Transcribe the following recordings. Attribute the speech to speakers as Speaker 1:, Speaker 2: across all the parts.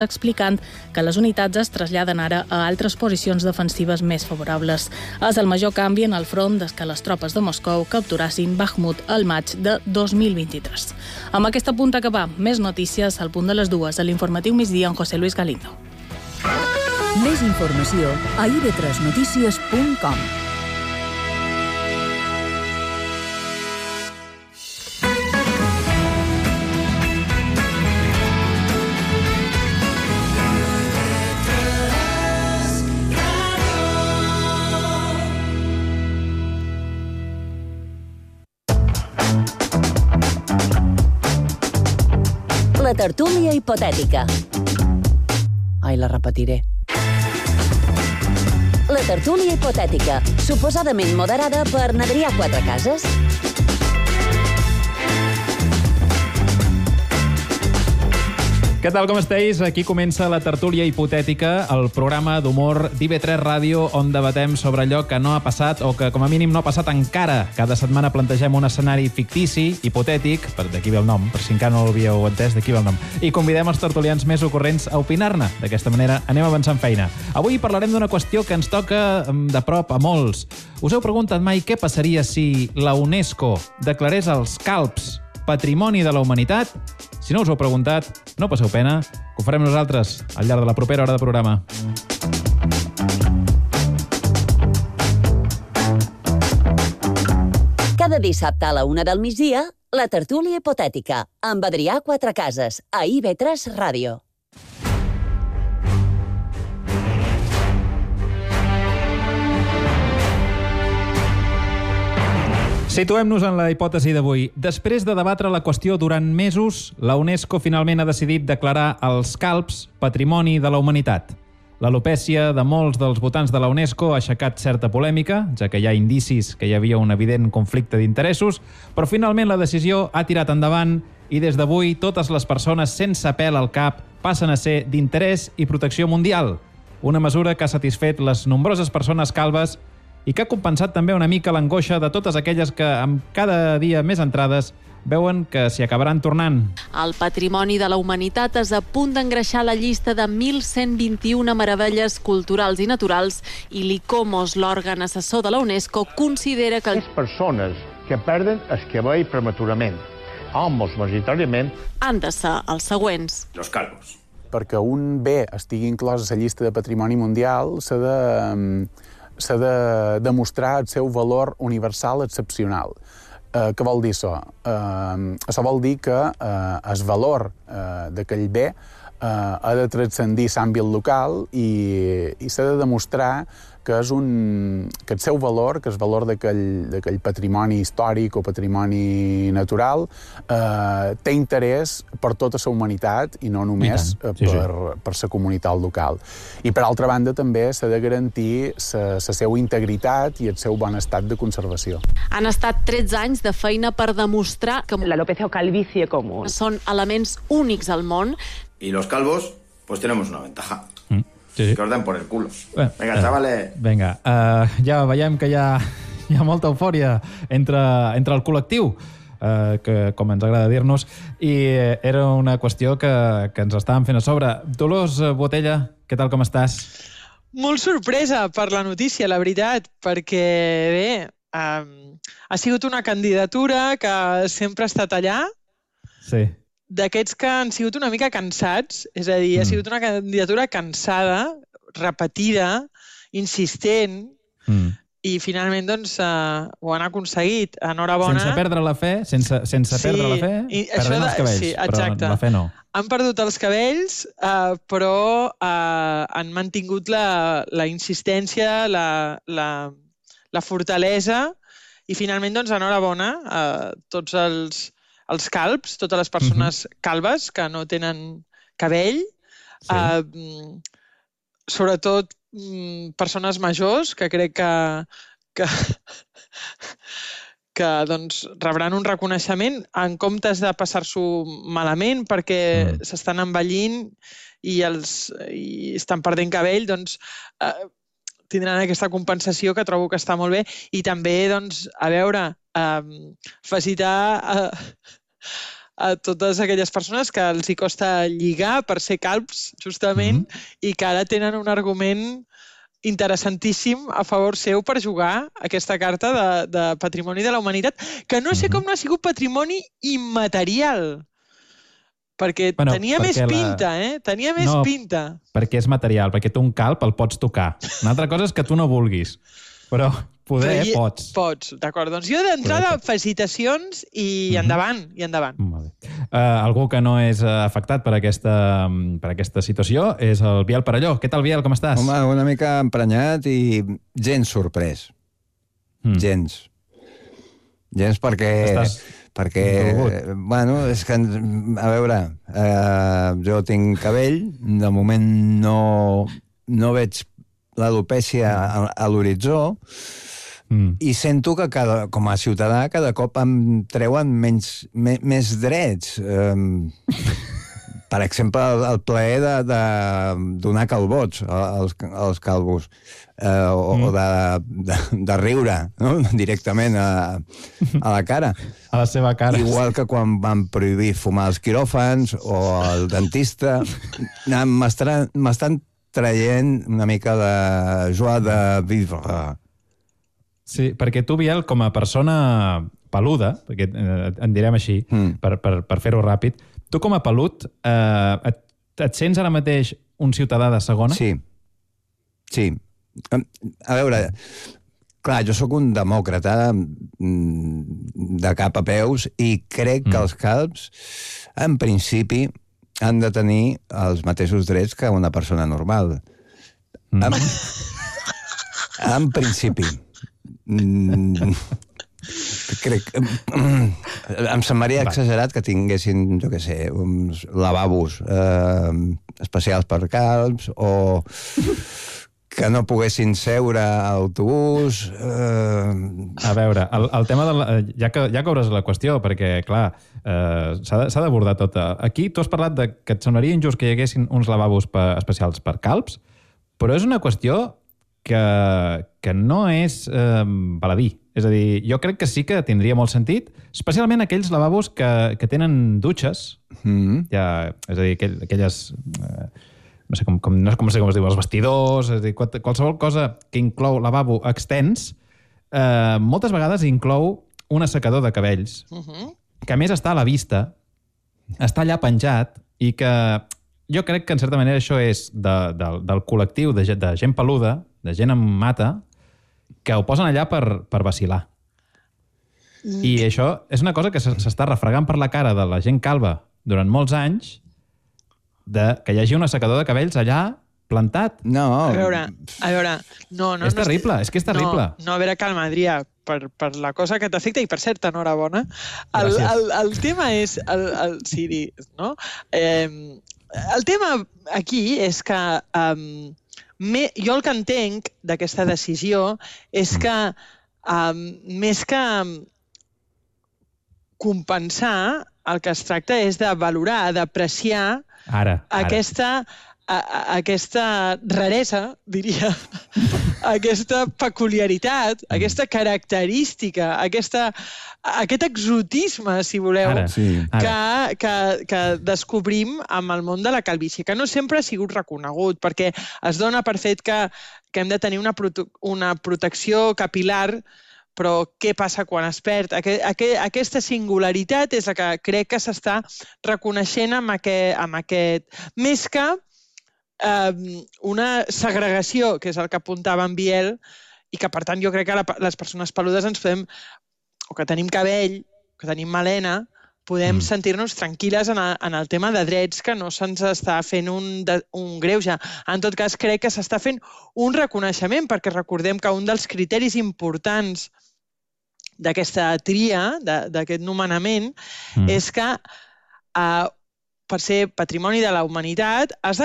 Speaker 1: explicant que les unitats es traslladen ara a altres posicions defensives més favorables. És el major canvi en el front des que les tropes de Moscou capturassin Bakhmut al maig de 2023. Amb aquesta punt acabar, més notícies al punt de les 2 a l'informatiu migdia amb José Luis Galindo.
Speaker 2: Més informació a ib3notícies.com.
Speaker 3: La tertúlia hipotètica.
Speaker 4: Ai, la repetiré.
Speaker 3: La tertúlia hipotètica, suposadament moderada per n'Adrià Quatrecases.
Speaker 5: Què tal, com esteu? Aquí comença la tertúlia hipotètica, el programa d'humor d'IB3 Ràdio, on debatem sobre allò que no ha passat o que, com a mínim, no ha passat encara. Cada setmana plantegem un escenari fictici, hipotètic, d'aquí ve el nom, per si encara no l'havíeu entès, d'aquí ve el nom, i convidem els tertulians més ocorrents a opinar-ne. D'aquesta manera anem avançant feina. Avui parlarem d'una qüestió que ens toca de prop a molts. Us heu preguntat mai què passaria si la UNESCO declarés els calbs Patrimoni de la Humanitat? Si no us ho heu preguntat, no passeu pena, que ho farem nosaltres al llarg de la propera hora de programa.
Speaker 3: Cada dissabte a la 1 del migdia, la tertúlia hipotètica, amb Adrià Quatrecases, a IB3 Ràdio.
Speaker 5: Situem-nos en la hipòtesi d'avui. Després de debatre la qüestió durant mesos, la UNESCO finalment ha decidit declarar els calbs Patrimoni de la Humanitat. L'alopècia de molts dels votants de la UNESCO ha aixecat certa polèmica, ja que hi ha indicis que hi havia un evident conflicte d'interessos, però finalment la decisió ha tirat endavant i des d'avui totes les persones sense pèl al cap passen a ser d'interès i protecció mundial. Una mesura que ha satisfet les nombroses persones calbes i que ha compensat també una mica l'angoixa de totes aquelles que, amb cada dia més entrades, veuen que s'hi acabaran tornant.
Speaker 6: El Patrimoni de la Humanitat és a punt d'engreixar la llista de 1.121 meravelles culturals i naturals i l'ICOMOS, l'òrgan assessor de la UNESCO, considera que...
Speaker 7: Les persones que perden el cabell prematurament, homes majoritàriament,
Speaker 6: han de ser els següents.
Speaker 8: Los calvos.
Speaker 9: Perquè un bé estigui inclòs a la llista de patrimoni mundial s'ha de demostrar el seu valor universal excepcional. Què vol dir això? Això vol dir que el valor d'aquell bé ha de transcendir l'àmbit local i s'ha de demostrar que el seu valor, que el valor d'aquell patrimoni històric o patrimoni natural, té interès per tota la humanitat i no només per la comunitat local. I, per altra banda, també s'ha de garantir la seva integritat i el seu bon estat de conservació.
Speaker 6: Han estat 13 anys de feina per demostrar que
Speaker 10: l'alopecia o calvicie común
Speaker 6: són elements únics al món.
Speaker 8: Y los calvos, pues tenemos una ventaja.
Speaker 5: Sí.
Speaker 8: Que os den por el culo. Venga, chavales.
Speaker 5: Vinga, ja veiem que hi ha molta eufòria entre el col·lectiu, que, com ens agrada dir-nos, i era una qüestió que ens estàvem fent a sobre. Dolors Botella, què tal, com estàs?
Speaker 11: Molt sorpresa per la notícia, la veritat, perquè, bé, ha sigut una candidatura que sempre ha estat allà.
Speaker 5: Sí.
Speaker 11: D'aquests que han sigut una mica cansats, és a dir, ha sigut una candidatura cansada, repetida, insistent, i finalment doncs ho han aconseguit. Enhorabona.
Speaker 5: Sense perdre la fe, sense perdre la fe, perdent els cabells,
Speaker 11: sí, exacte.
Speaker 5: Però la fe no.
Speaker 11: Han perdut els cabells, però han mantingut la insistència, la fortalesa, i finalment, doncs, enhorabona a tots els calbs, totes les persones calbes que no tenen cabell, sobretot persones majors, que crec que doncs, rebran un reconeixement en comptes de passar-s'ho malament perquè s'estan envellint i estan perdent cabell, doncs tindran aquesta compensació que trobo que està molt bé. I també, doncs, a veure, felicitar a totes aquelles persones que els hi costa lligar per ser calbs, justament, i que ara tenen un argument interessantíssim a favor seu per jugar aquesta carta de Patrimoni de la Humanitat, que no sé com no ha sigut patrimoni immaterial, perquè tenia més pinta, Tenia més pinta.
Speaker 5: Perquè és material, perquè tu un calb el pots tocar. Una altra cosa és que tu no vulguis, però poder pots.
Speaker 11: Pots, d'acord. Doncs jo d'entrada, felicitacions i endavant, i endavant.
Speaker 5: Algú que no és afectat per aquesta situació és el Biel Perelló. Què tal, Biel? Com estàs?
Speaker 12: Home, una mica emprenyat i gens sorprès. Gens. Gens perquè bueno, és que, a veure, jo tinc cabell, de moment no veig l'alopècia a l'horitzó, i sento que com a ciutadà cada cop em treuen més drets. Per exemple, el plaer de donar calbots als calvos, o de riure directament a la cara.
Speaker 5: A la seva cara.
Speaker 12: Igual que quan van prohibir fumar els quiròfans o el dentista. M'estan traient una mica de joie de vivre.
Speaker 5: Sí, perquè tu, Biel, com a persona peluda, perquè en direm així, per fer-ho ràpid, tu com a pelut, et sents ara mateix un ciutadà de segona?
Speaker 12: Sí. A veure, clar, jo sóc un demòcrata de cap a peus i crec que els calbs, en principi, han de tenir els mateixos drets que una persona normal. En principi. Crec que em semblaria exagerat que tinguessin, jo què sé, uns lavabos especials per calbs o que no poguessin seure a l'autobús.
Speaker 5: A veure, el tema ja que obres la qüestió, perquè, clar, s'ha d'abordar tot. Aquí tu has parlat que et semblaria injust que hi haguessin uns lavabos especials per calbs, però és una qüestió que no és baladí. És a dir, jo crec que sí que tindria molt sentit, especialment aquells lavabos que tenen dutxes, és a dir, aquelles... no sé com es diu, els vestidors, és a dir, qualsevol cosa que inclou lavabo extens, moltes vegades inclou un assecador de cabells, que a més està a la vista, està allà penjat, i que jo crec que en certa manera això és del col·lectiu de gent peluda, de gent amb mata, que ho posen allà per vacilar. I això és una cosa que s'està refregant per la cara de la gent calva durant molts anys, que hi hagi un assecador de cabells allà plantat.
Speaker 12: No.
Speaker 11: A veure, no.
Speaker 5: És terrible, és que és terrible.
Speaker 11: No, a veure, calma, Adrià, per la cosa que t'afecta, i per cert, enhorabona. El tema és... Siri, no? El tema aquí és que... jo el que entenc d'aquesta decisió és que més que compensar, el que es tracta és de valorar, d'apreciar aquesta raresa, diria, aquesta peculiaritat, aquesta característica, aquest exotisme, si voleu, que descobrim amb el món de la calvície, que no sempre ha sigut reconegut, perquè es dona per fet que hem de tenir una protecció capilar, però què passa quan es perd? Aquesta singularitat és la que crec que s'està reconeixent amb aquest... Més que una segregació, que és el que apuntava en Biel, i que, per tant, jo crec que les persones peludes ens podem, o que tenim cabell, que tenim melena, podem sentir-nos tranquil·les en el tema de drets, que no se'ns està fent un greuge. En tot cas, crec que s'està fent un reconeixement, perquè recordem que un dels criteris importants d'aquesta tria, d'aquest nomenament, és que per ser patrimoni de la humanitat es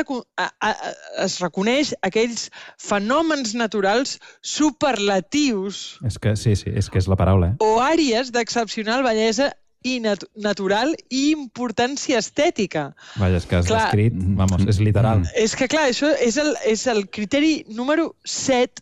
Speaker 11: reconeix aquells fenòmens naturals superlatius.
Speaker 5: És que sí, és que és la paraula.
Speaker 11: O àrees d'excepcional bellesa i natural i importància estètica.
Speaker 5: Vaja, és que has descrit, és literal.
Speaker 11: És que, clar, això és el criteri número 7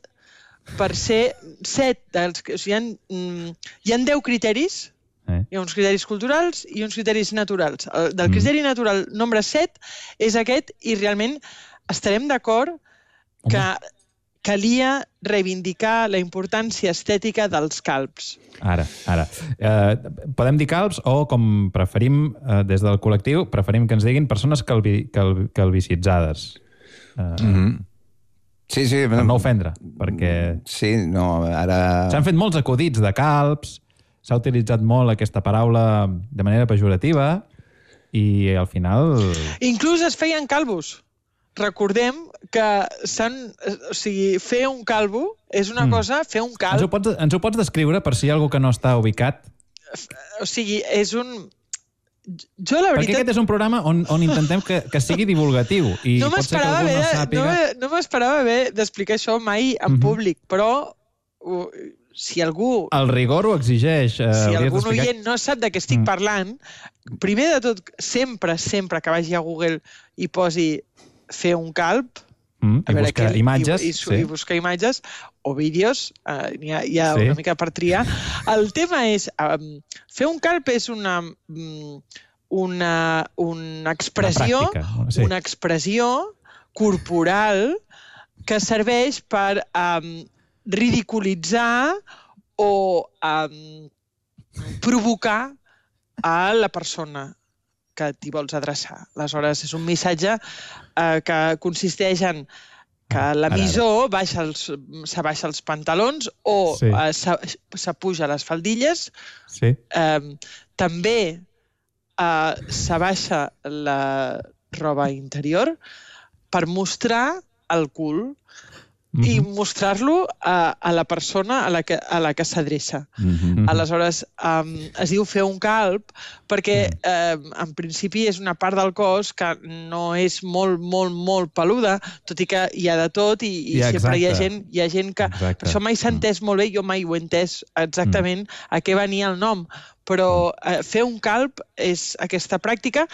Speaker 11: per ser 7. Hi ha 10 criteris Hi ha uns criteris culturals i uns criteris naturals. Del criteri natural nombre 7 és aquest i realment estarem d'acord que calia reivindicar la importància estètica dels calbs.
Speaker 5: Ara. Podem dir calbs o, com preferim, des del col·lectiu, preferim que ens diguin persones calvicitzades.
Speaker 12: Sí.
Speaker 5: Per no ofendre, perquè...
Speaker 12: Sí, no, ara...
Speaker 5: S'han fet molts acudits de calbs, s'ha utilitzat molt aquesta paraula de manera pejorativa i al final...
Speaker 11: Inclús es feien calvos. Recordem que fer un calvo és una cosa, fer un calb...
Speaker 5: Ens ho pots descriure per si hi ha algú que no està ubicat?
Speaker 11: O sigui, és un... Jo, la veritat...
Speaker 5: Perquè aquest és un programa on intentem que sigui divulgatiu i
Speaker 11: no
Speaker 5: pot ser que algú no sàpiga...
Speaker 11: No m'esperava haver d'explicar això mai en públic, però si algú...
Speaker 5: El rigor ho exigeix.
Speaker 11: Si algun oient no sap de què estic parlant, primer de tot, sempre que vagi a Google i posi fer un calb,
Speaker 5: i buscar imatges.
Speaker 11: I buscar imatges o vídeos, hi ha una mica per triar. El tema és, fer un calb és una expressió, una expressió corporal que serveix per ridiculitzar o provocar a la persona que t'hi vols adreçar. Aleshores, és un missatge que consisteix en que l'emissor s'abaixa els pantalons o s'apuja les faldilles. També s'abaixa la roba interior per mostrar el cul i mostrar-lo a la persona a la que s'adreça. Aleshores, es diu fer un calb perquè, en principi, és una part del cos que no és molt peluda, tot i que hi ha de tot i sempre hi ha gent que... Això mai s'ha entès molt bé, jo mai ho he entès exactament a què venia el nom, però fer un calb és aquesta pràctica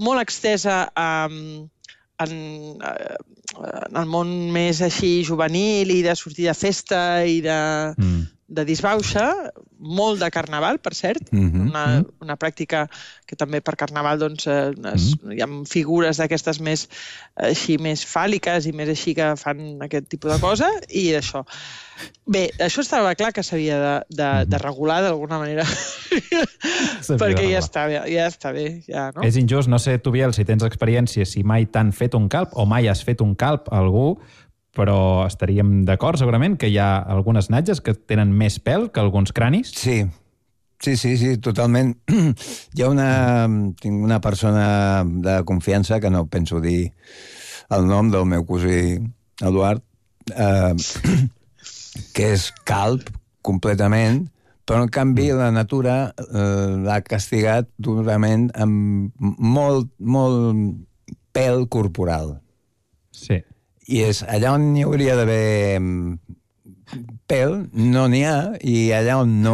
Speaker 11: molt extesa en el món més així juvenil i de sortir de festa i de disbauxa, molt de carnaval, per cert, una pràctica que també per carnaval hi ha figures d'aquestes més fàl·liques i més així que fan aquest tipus de cosa i d'això. Bé, això estava clar que s'havia de regular d'alguna manera perquè ja està bé. No?
Speaker 5: És injust, no sé, tu, Biel, si tens experiència, si mai t'han fet un calb o mai has fet un calb a algú, però estaríem d'acord segurament que hi ha algunes natges que tenen més pèl que alguns cranis?
Speaker 12: Sí, totalment. Tinc una persona de confiança, que no penso dir el nom del meu cosí Eduard, que és calb completament, però en canvi la natura l'ha castigat durament amb molt pèl corporal.
Speaker 5: Sí.
Speaker 12: I és allà on hi hauria d'haver pèl, no n'hi ha, i allà on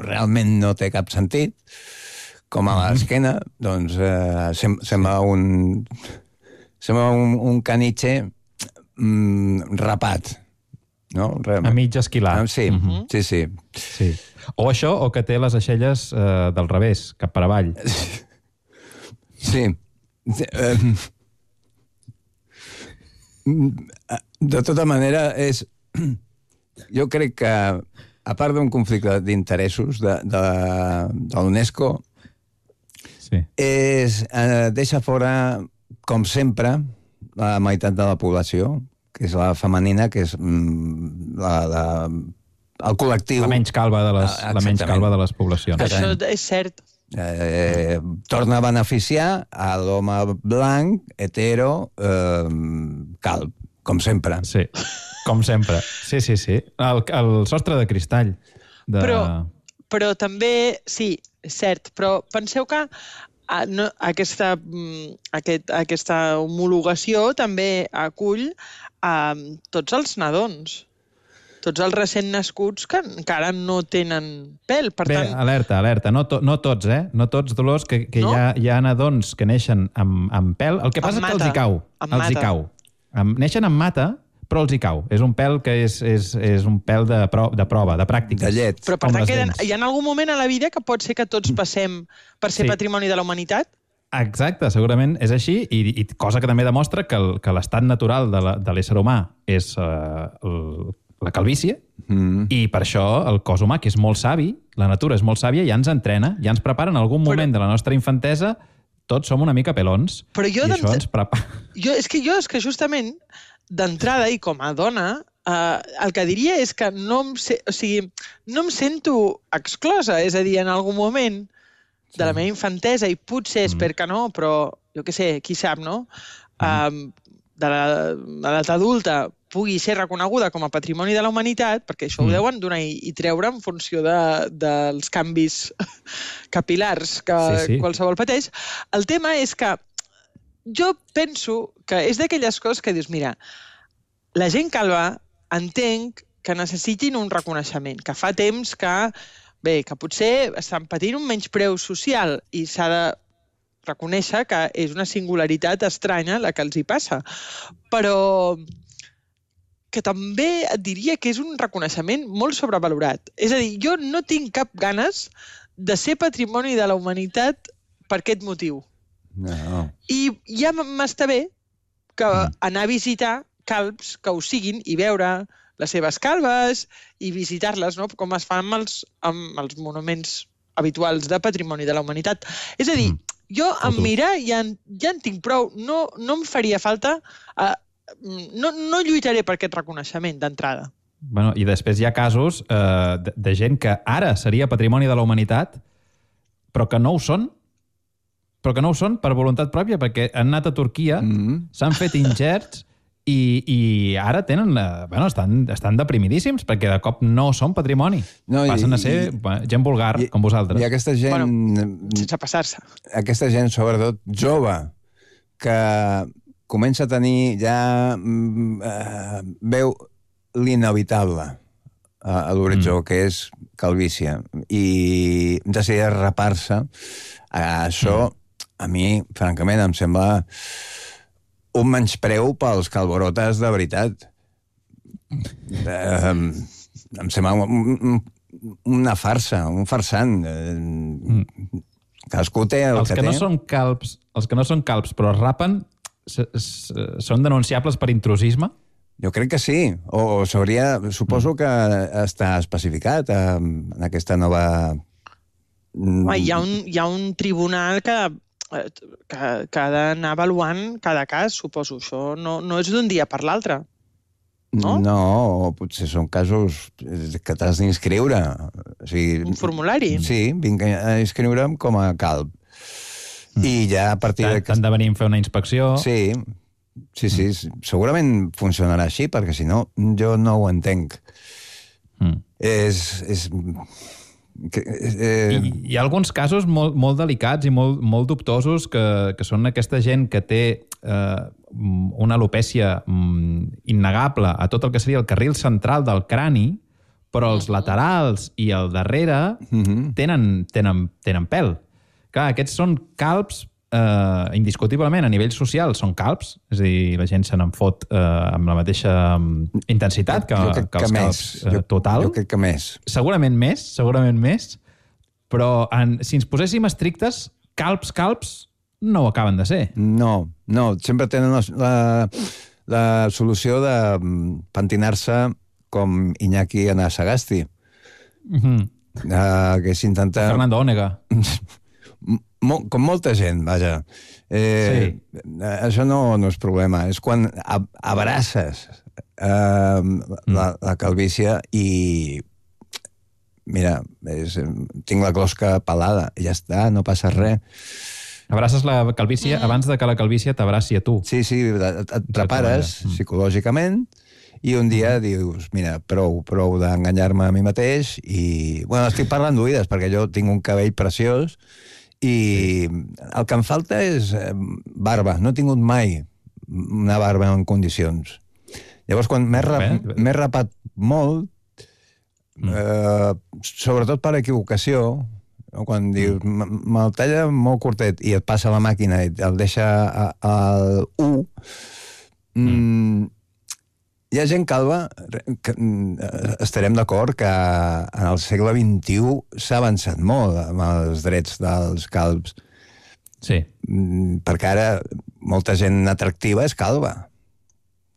Speaker 12: realment no té cap sentit, com a l'esquena, doncs sembla un canitxe rapat. No?
Speaker 5: A mig esquilar.
Speaker 12: Sí.
Speaker 5: O això, o que té les aixelles del revés, cap per avall.
Speaker 12: Sí. De tota manera, jo crec que, a part d'un conflicte d'interessos de l'UNESCO, deixa fora, com sempre, la meitat de la població, que és la femenina, que és el col·lectiu...
Speaker 5: La menys calva de les poblacions.
Speaker 11: Això és cert.
Speaker 12: Torna a beneficiar a l'home blanc, hetero, calb, com sempre.
Speaker 5: Sí, com sempre. Sí. El sostre de cristall.
Speaker 11: Però també, sí, és cert, però penseu que aquesta homologació també acull tots els nadons, tots els recent nascuts que encara no tenen pèl. Per tant...
Speaker 5: Alerta. No tots, No tots, Dolors, que no? Hi ha nadons que neixen amb pèl. El que passa és que els hi cau. Neixen amb mata, però els hi cau. És un pèl que és un pèl de prova, de pràctiques.
Speaker 12: De llet.
Speaker 11: Però per tant, hi ha algun moment a la vida que pot ser que tots passem per ser patrimoni de la humanitat?
Speaker 5: Exacte, segurament és així, i cosa que també demostra que l'estat natural de l'ésser humà és la calvície, i per això el cos humà, que és molt savi, la natura és molt sàvia, ja ens entrena, ja ens prepara en algun moment de la nostra infantesa. Tots som una mica pelons, i això ens prepara.
Speaker 11: És que justament, d'entrada, i com a dona, el que diria és que no em sento exclosa. És a dir, en algun moment de la meva infantesa, i potser espero que no, però jo què sé, qui sap, no? De l'edat adulta pugui ser reconeguda com a patrimoni de la humanitat, perquè això ho deuen donar i treure en funció dels canvis capilars que qualsevol pateix. El tema és que jo penso que és d'aquelles coses que dius, mira, la gent calva entenc que necessitin un reconeixement, que fa temps que potser estan patint un menyspreu social i s'ha de reconèixer que és una singularitat estranya la que els hi passa. Però que també et diria que és un reconeixement molt sobrevalorat. És a dir, jo no tinc cap ganes de ser patrimoni de la humanitat per aquest motiu.
Speaker 12: No.
Speaker 11: I ja m'està bé que anar a visitar calbs que ho siguin i veure les seves calbes i visitar-les, no? Com es fa amb els monuments habituals de patrimoni de la humanitat. És a dir, jo en mirar ja en tinc prou. No em faria falta... No lluitaré per aquest reconeixement d'entrada.
Speaker 5: Bueno, i després hi ha casos de gent que ara seria patrimoni de la humanitat, però que no ho són, per voluntat pròpia, perquè han anat a Turquia, s'han fet ingerts i ara estan deprimidíssims perquè de cop no són patrimoni. Passen a ser gent vulgar, com vosaltres.
Speaker 12: I aquesta gent...
Speaker 11: sense passar-se.
Speaker 12: Aquesta gent, sobretot jove, que comença a tenir veu l'inevitable a l'horitzó, que és calvície, i decideix rapar-se. Això, a mi, francament, em sembla un menyspreu pels calborotes de veritat. Em sembla una farsa, un farsant. Cadascú té el que té.
Speaker 5: Els que no són calbs però es rapen són denunciables per intrusisme?
Speaker 12: Jo crec que sí. O s'hauria... Suposo que està especificat en aquesta nova...
Speaker 11: Hi ha un tribunal que ha d'anar avaluant cada cas, suposo. Això no és d'un dia per l'altre. No?
Speaker 12: No, potser són casos que t'has d'inscriure.
Speaker 11: Un formulari?
Speaker 12: Sí, vinc a inscriure'm com a calb. I ja a partir de...
Speaker 5: T'han de venir a fer una inspecció.
Speaker 12: Sí, segurament funcionarà així, perquè si no, jo no ho entenc.
Speaker 5: Hi ha alguns casos molt delicats i molt dubtosos que són aquesta gent que té una alopècia innegable a tot el que seria el carril central del crani, però els laterals i el darrere tenen pèl. Clar, aquests són calbs, indiscutiblement, a nivell social, són calbs, és a dir, la gent se n'en fot amb la mateixa intensitat que els calbs total.
Speaker 12: Jo crec que més.
Speaker 5: Segurament més, però si ens poséssim estrictes, calbs no ho acaben de ser.
Speaker 12: No, sempre tenen la solució de pentinar-se com Iñaki Anasagasti, que s'intenta...
Speaker 5: Fernando Onega.
Speaker 12: Com molta gent, vaja. Això no és problema. És quan abraces la calvície i... Mira, tinc la closca pelada, i ja està, no passa res.
Speaker 5: Abraces la calvície abans de que la calvície t'abraci a tu.
Speaker 12: Sí, et prepares psicològicament i un dia dius, mira, prou d'enganyar-me a mi mateix i... Bueno, estic parlant d'oïdes perquè jo tinc un cabell preciós i el que em falta és barba. No he tingut mai una barba en condicions. Llavors, quan m'he rapat molt, sobretot per equivocació, quan dius, me'l talla molt curtet i et passa la màquina i el deixa al 1, Hi ha gent calva, que estarem d'acord que en el segle XXI s'ha avançat molt amb els drets dels calbs.
Speaker 5: Sí.
Speaker 12: Perquè ara molta gent atractiva és calva.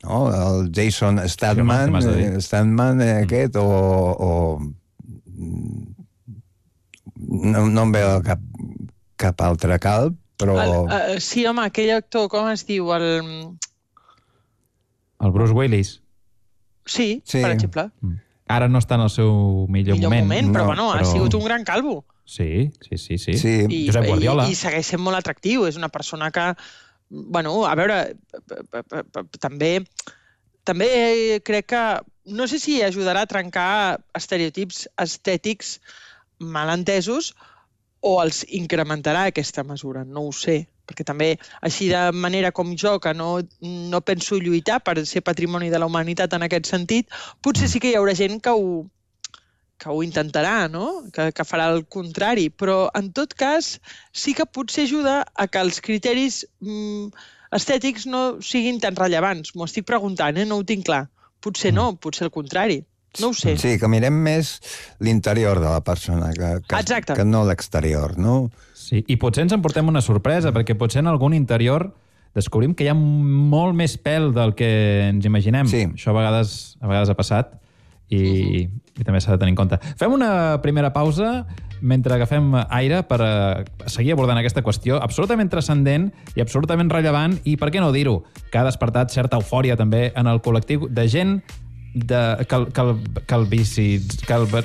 Speaker 12: No? El Jason Statham, aquest, o no em veu cap altre calb, però...
Speaker 11: Sí, home, aquell actor, com es diu?
Speaker 5: El Bruce Willis.
Speaker 11: Sí, per exemple.
Speaker 5: Ara no està en el seu millor moment.
Speaker 11: Però bueno, ha sigut un gran calvo.
Speaker 5: Sí. Josep Guardiola.
Speaker 11: I segueix sent molt atractiu. És una persona que, bueno, a veure, també crec que, no sé si ajudarà a trencar estereotips estètics malentesos o els incrementarà aquesta mesura, no ho sé. Perquè també, així de manera com jo, que no penso lluitar per ser patrimoni de la humanitat en aquest sentit, potser sí que hi haurà gent que ho intentarà, no? Que farà el contrari. Però, en tot cas, sí que potser ajuda a que els criteris estètics no siguin tan rellevants. M'ho estic preguntant, no ho tinc clar. Potser no, potser el contrari. No ho sé.
Speaker 12: Sí, que mirem més l'interior de la persona que no l'exterior, no?
Speaker 5: Sí, i potser ens emportem una sorpresa, perquè potser en algun interior descobrim que hi ha molt més pèl del que ens imaginem.
Speaker 12: Sí.
Speaker 5: Això a vegades ha passat i també s'ha de tenir en compte. Fem una primera pausa mentre agafem aire per seguir abordant aquesta qüestió absolutament transcendent i absolutament rellevant i, per què no dir-ho, que ha despertat certa eufòria també en el col·lectiu de gent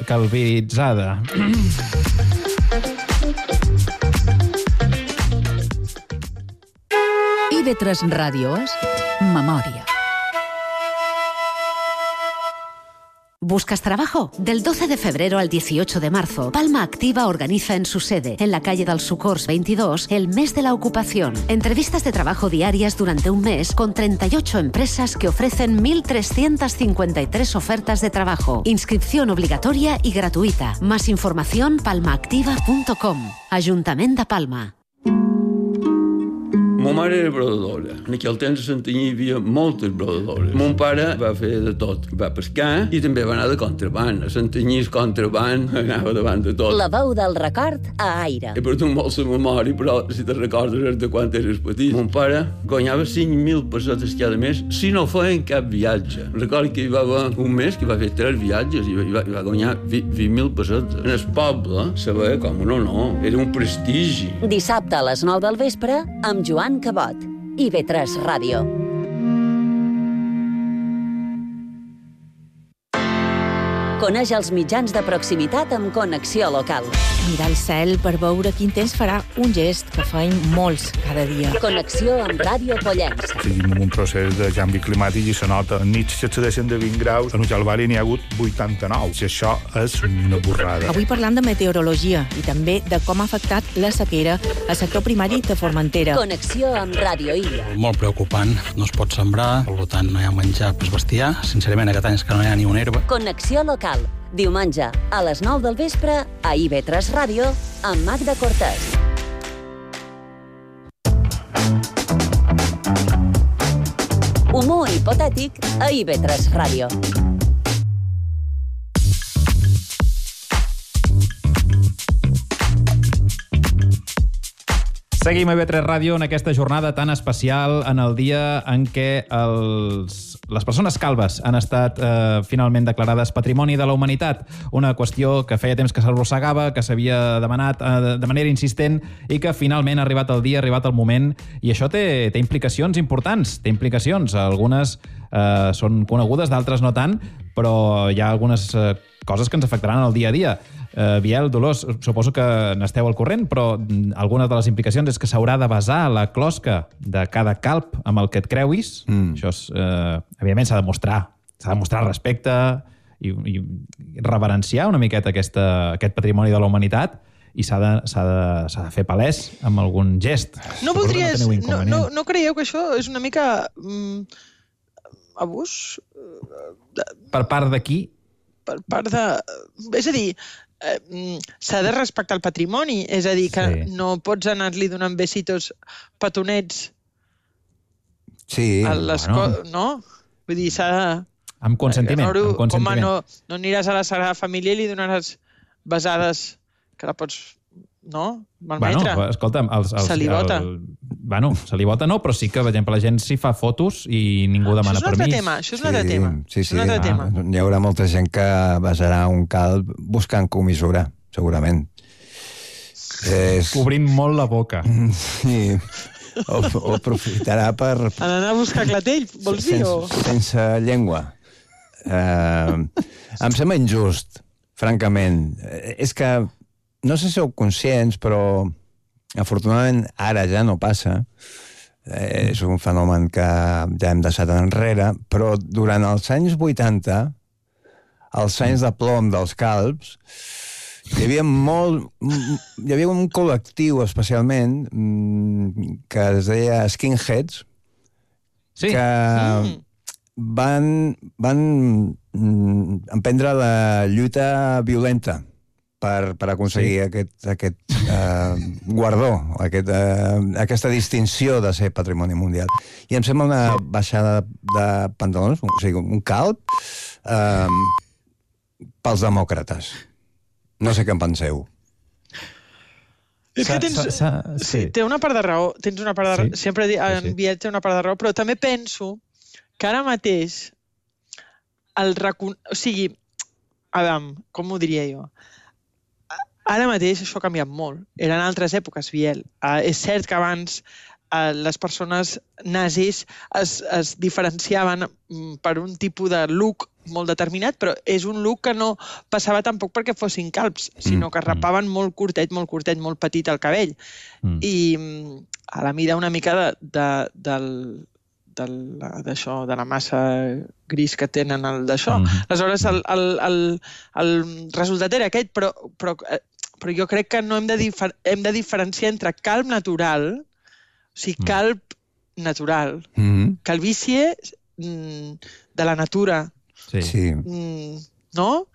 Speaker 5: calviritzada.
Speaker 2: IB3 Ràdio és Memòria.
Speaker 13: ¿Buscas trabajo? Del 12 de febrero al 18 de marzo, Palma Activa organiza en su sede, en la calle del Socors 22, el mes de la ocupación. Entrevistas de trabajo diarias durante un mes con 38 empresas que ofrecen 1.353 ofertas de trabajo. Inscripción obligatoria y gratuïta. Más información palmaactiva.com. Ajuntament de Palma.
Speaker 14: Ma mare era brodadora. En aquell temps a Santanyí hi havia moltes brodadores. Mon pare va fer de tot. Va pescar i també va anar de contraband. A Santanyí el contraband anava davant de tot.
Speaker 3: La veu del record a Aire.
Speaker 14: He perdut molt la memòria, però si te recordes de quan eres petit. Mon pare guanyava 5.000 pessetes cada mes si no feien cap viatge. Recordo que hi va haver un mes que va fer 3 viatges i va guanyar 20.000 pessetes. En el poble se veia com un honor. Era un prestigi.
Speaker 3: Dissabte a les 9 del vespre amb Joan Cabot. IB3 Ràdio. Coneix els mitjans de proximitat amb Connexió Local.
Speaker 15: Mirar el cel per veure quin temps farà, un gest que feim molts cada dia.
Speaker 3: Connexió amb Ràdio Pollença.
Speaker 16: Tenim un procés de canvi climàtic i se nota. En nits s'excedeixen de 20 graus, en Ujalbari n'hi ha hagut 89. I això és una borrada.
Speaker 15: Avui parlant de meteorologia i també de com ha afectat la sequera al sector primari de Formentera.
Speaker 3: Connexió amb Ràdio Illa.
Speaker 17: Molt preocupant. No es pot sembrar, per tant no hi ha menjar per bestiar. Sincerament, aquest any és que no hi ha ni una herba.
Speaker 3: Connexió Local. Diumenge, a les 9 del vespre, a IB3 Ràdio, amb Magda Cortés. Humor hipotètic a IB3 Ràdio.
Speaker 5: Seguim a IB3 Ràdio en aquesta jornada tan especial, en el dia en què les persones calbes han estat finalment declarades Patrimoni de la Humanitat. Una qüestió que feia temps que s'arrossegava, que s'havia demanat de manera insistent i que finalment ha arribat el dia, ha arribat el moment. I això té implicacions importants. Té implicacions. Algunes són conegudes, d'altres no tant, però hi ha algunes coses que ens afectaran en el dia a dia. Biel, Dolors, suposo que n'esteu al corrent, però alguna de les implicacions és que s'haurà de basar la closca de cada calb amb el que et creuis. Això és, evidentment, s'ha de mostrar respecte i reverenciar una miqueta aquest patrimoni de la humanitat i s'ha de fer palès amb algun gest.
Speaker 11: No creieu que això és una mica abús?
Speaker 5: Per part de qui?
Speaker 11: Per part de... És a dir, s'ha de respectar el patrimoni, és a dir, que no pots anar-li donant besitos petonets
Speaker 12: a
Speaker 11: les coses, no? Vull dir, s'ha de...
Speaker 5: Amb consentiment.
Speaker 11: Home, no aniràs a la Sagrada Família i li donaràs besades que la pots, no? Malmetre.
Speaker 5: Bueno, escolta'm,
Speaker 11: se li vota.
Speaker 5: Bueno, se li vota no, però sí que, per exemple, la gent s'hi fa fotos i ningú demana permís.
Speaker 11: Això és un altre tema.
Speaker 12: Sí. Hi haurà molta gent que besarà un calb buscant comissura, segurament.
Speaker 5: Cobrint molt la boca.
Speaker 12: Sí. O aprofitarà per...
Speaker 11: Anar a buscar clatell, vols dir?
Speaker 12: Sense llengua. Em sembla injust, francament. És que no sé si sou conscients, però afortunadament ara ja no passa. És un fenomen que ja hem deixat enrere, però durant els anys 80, els anys de plom dels calbs, hi havia un col·lectiu especialment que es deia skinheads, que van emprendre la lluita violenta per aconseguir aquest guardó, aquesta distinció de ser patrimoni mundial. I em sembla una baixada de pantalons, o sigui, un calb pels demòcrates. No sé què en penseu.
Speaker 11: És que té una part de raó, sempre en Biel té una part de raó, però també penso que ara mateix o sigui, Adam, com ho diria jo? Ara mateix això ha canviat molt. Eren altres èpoques, Biel. És cert que abans les persones nazis es diferenciaven per un tipus de look molt determinat, però és un look que no passava tampoc perquè fossin calbs, sinó que rapaven molt curtet, molt petit el cabell. I a la mida una mica de la massa gris que tenen d'això. Aleshores, el resultat era aquest, però jo crec que no hem de diferenciar entre calb natural, o sigui, calb natural, calvície de la natura, no?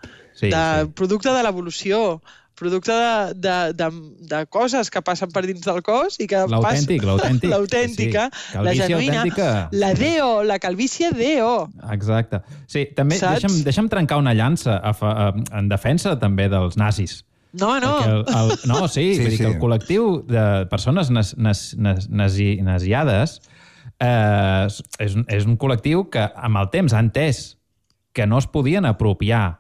Speaker 11: Producte de l'evolució, producte de coses que passen per dins del cos i que l'autèntica, la genuïna, la DO, la calvície DO.
Speaker 5: Exacte. Sí, també deixa'm trencar una llança en defensa també dels nazis.
Speaker 11: No.
Speaker 5: No, sí, vull dir que el col·lectiu de persones naziades és un col·lectiu que amb el temps ha entès que no es podien apropiar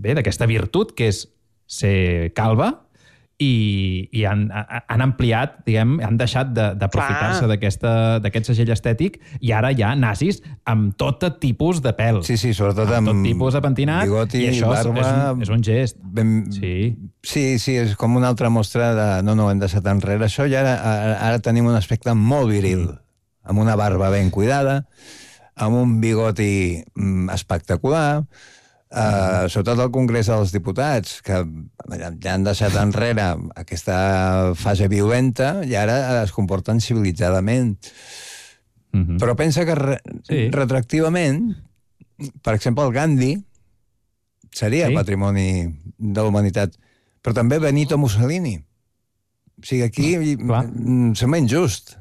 Speaker 5: d'aquesta virtut que és ser calba i han ampliat, diguem, han deixat d'aprofitar-se d'aquest segell estètic i ara hi ha nazis amb tot tipus de pèl.
Speaker 12: Sí, sobretot amb
Speaker 5: tot tipus de pentinat,
Speaker 12: bigoti,
Speaker 5: i això
Speaker 12: barba,
Speaker 5: és un gest.
Speaker 12: Sí, és com una altra mostra de no, hem deixat enrere això i ara tenim un aspecte molt viril, amb una barba ben cuidada, amb un bigoti espectacular, sobretot al Congrés dels Diputats, que ja han deixat enrere aquesta fase violenta i ara es comporten civilitzadament. Però pensa que retroactivament, per exemple, el Gandhi seria patrimoni de la humanitat, però també Benito Mussolini. O sigui, aquí sembla injust.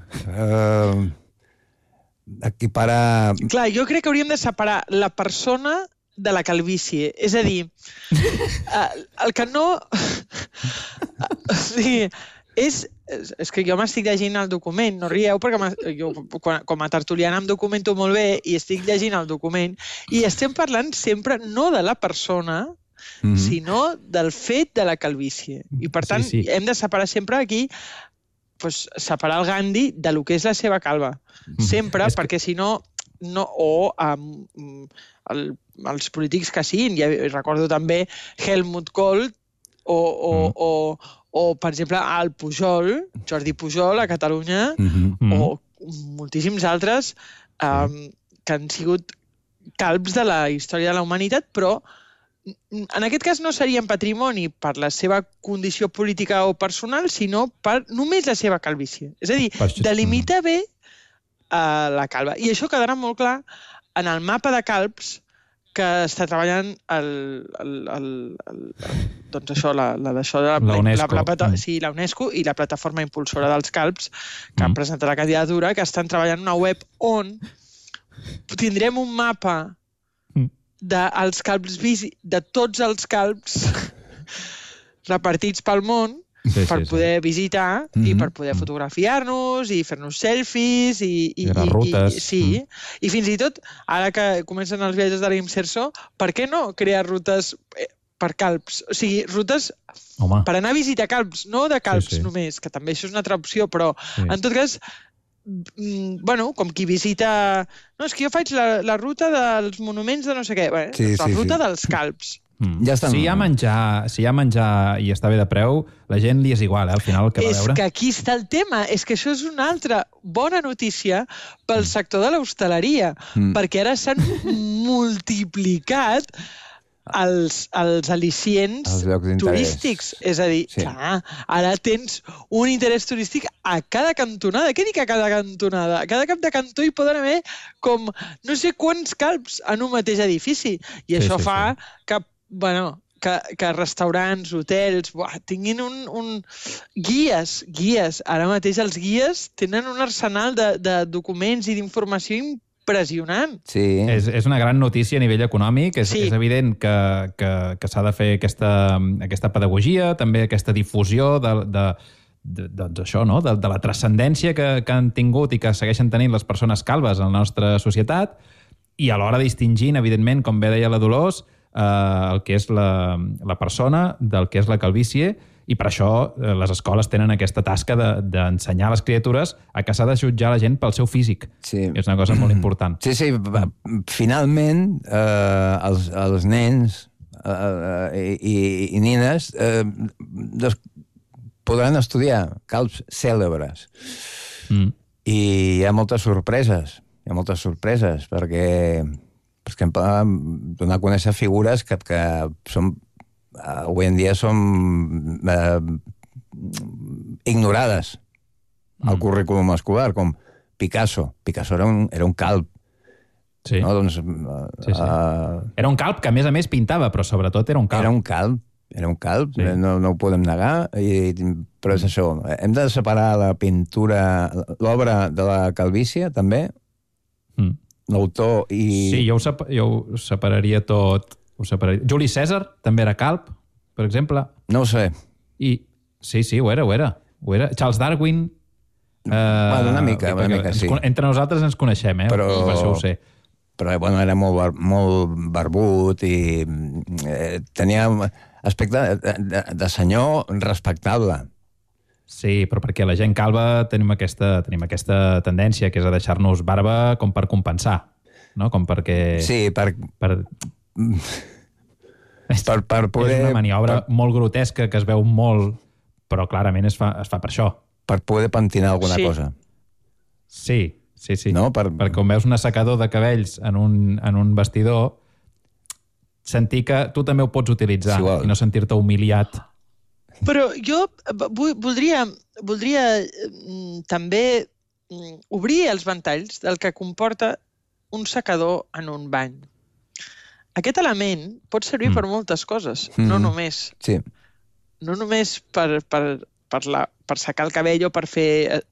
Speaker 12: Equiparar...
Speaker 11: Clar, jo crec que hauríem de separar la persona de la calvície. És a dir, el que no... O sigui, és que jo m'estic llegint el document, no rieu, perquè jo com a tertuliana em documento molt bé i estic llegint el document i estem parlant sempre no de la persona, sinó del fet de la calvície. I per tant, hem de separar sempre aquí, separar el Gandhi de lo que és la seva calva. Sempre, perquè si no... o els polítics que siguin. Recordo també Helmut Kohl o per exemple, el Pujol, Jordi Pujol, a Catalunya, o moltíssims altres que han sigut calbs de la història de la humanitat, però en aquest cas no serien patrimoni per la seva condició política o personal, sinó per només la seva calvície. És a dir, delimita bé la calva. I això quedarà molt clar en el mapa de calbs que està treballant doncs això, la UNESCO i la plataforma impulsora dels calbs, que han presentat la candidatura, que estan treballant una web on tindrem un mapa dels calbs de tots els calbs repartits pel món per poder visitar i per poder fotografiar-nos i fer-nos selfies i
Speaker 5: les rutes.
Speaker 11: Sí, i fins i tot, ara que comencen els viatges de l'Imserso, per què no crear rutes per calbs? O sigui, rutes per anar a visitar calbs, no de calbs només, que també això és una altra opció, però en tot cas, bueno, com qui visita... No, és que jo faig la ruta dels monuments de no sé què, la ruta dels calbs.
Speaker 12: Ja estan...
Speaker 5: Si hi ha menjar i està bé de preu, la gent li és igual, al final, el que va veure.
Speaker 11: És que aquí està el tema, és que això és una altra bona notícia pel sector de l'hostaleria, perquè ara s'han multiplicat els al·licients turístics. És a dir, clar, ara tens un interès turístic a cada cantonada. Què dic a cada cantonada? A cada cap de cantó hi poden haver com no sé quants calbs en un mateix edifici. I això fa que restaurants, hotels, tinguin guies. Ara mateix els guies tenen un arsenal de documents i d'informació impressionant.
Speaker 12: Sí.
Speaker 5: És una gran notícia a nivell econòmic. És evident que s'ha de fer aquesta pedagogia, també aquesta difusió doncs això, no? De la transcendència que han tingut i que segueixen tenint les persones calbes en la nostra societat, i alhora distingint, evidentment, com bé deia la Dolors, el que és la persona del que és la calvície, i per això les escoles tenen aquesta tasca d'ensenyar a les criatures a que s'ha de jutjar la gent pel seu físic.
Speaker 12: Sí.
Speaker 5: És una cosa molt important.
Speaker 12: Sí, finalment els nens i nines podran estudiar calbs cèlebres. I hi ha moltes sorpreses. Perquè donar a conèixer figures que són, avui en dia són ignorades al currículum escolar, com Picasso. Picasso era un calb.
Speaker 5: Sí.
Speaker 12: No? Doncs,
Speaker 5: era un calb que, a més, pintava, però sobretot era un calb.
Speaker 12: Era un calb, no ho podem negar, però és això. Hem de separar la pintura, l'obra de la calvície, també, l'autor i...
Speaker 5: Sí, jo ho separaria tot. Juli Cèsar també era calb, per exemple.
Speaker 12: No ho sé.
Speaker 5: Sí, ho era. Charles Darwin...
Speaker 12: Una mica, sí.
Speaker 5: Entre nosaltres ens coneixem,
Speaker 12: però
Speaker 5: això ho sé.
Speaker 12: Però era molt barbut i tenia aspecte de senyor respectable.
Speaker 5: Sí, però perquè la gent calva tenim aquesta tendència, que és a deixar-nos barba com per compensar, no? Com perquè...
Speaker 12: Sí, per poder...
Speaker 5: És una maniobra molt grotesca que es veu molt, però clarament es fa per això.
Speaker 12: Per poder pentinar alguna cosa.
Speaker 5: Sí.
Speaker 12: No?
Speaker 5: Perquè quan veus un assecador de cabells en un vestidor, sentir que tu també ho pots utilitzar i no sentir-te humiliat.
Speaker 11: Però jo voldria també obrir els ventalls del que comporta un secador en un bany. Aquest element pot servir per moltes coses, no només.
Speaker 12: Sí.
Speaker 11: No només per secar el cabell o per fer,